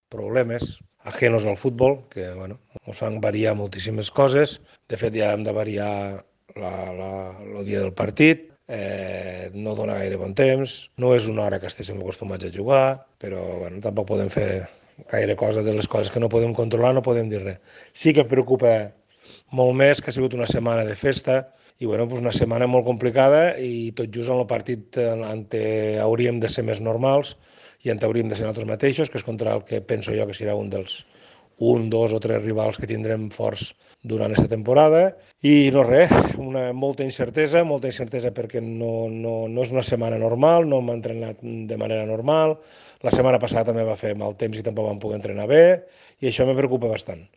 problemes ajenos al futbol, que bueno, ens fan variar moltíssimes coses. De fet, ja hem de variar el dia del partit, no dona gaire bon temps, no és una hora que estéssim acostumats a jugar, però bueno, tampoc podem fer gaire cosa de les coses que no podem controlar, no podem dir res. Sí que em preocupa molt més que ha sigut una setmana de festa i bueno, doncs una setmana molt complicada i tot just en el partit en què hauríem de ser més normals i en hauríem de ser nosaltres mateixos, que és contra el que penso jo que serà un dels dos o tres rivals que tindrem forts durant aquesta temporada i no res, molta incertesa perquè no és una setmana normal, no hem entrenat de manera normal, la setmana passada també va fer mal temps i tampoc vam poder entrenar bé i això me preocupa bastant.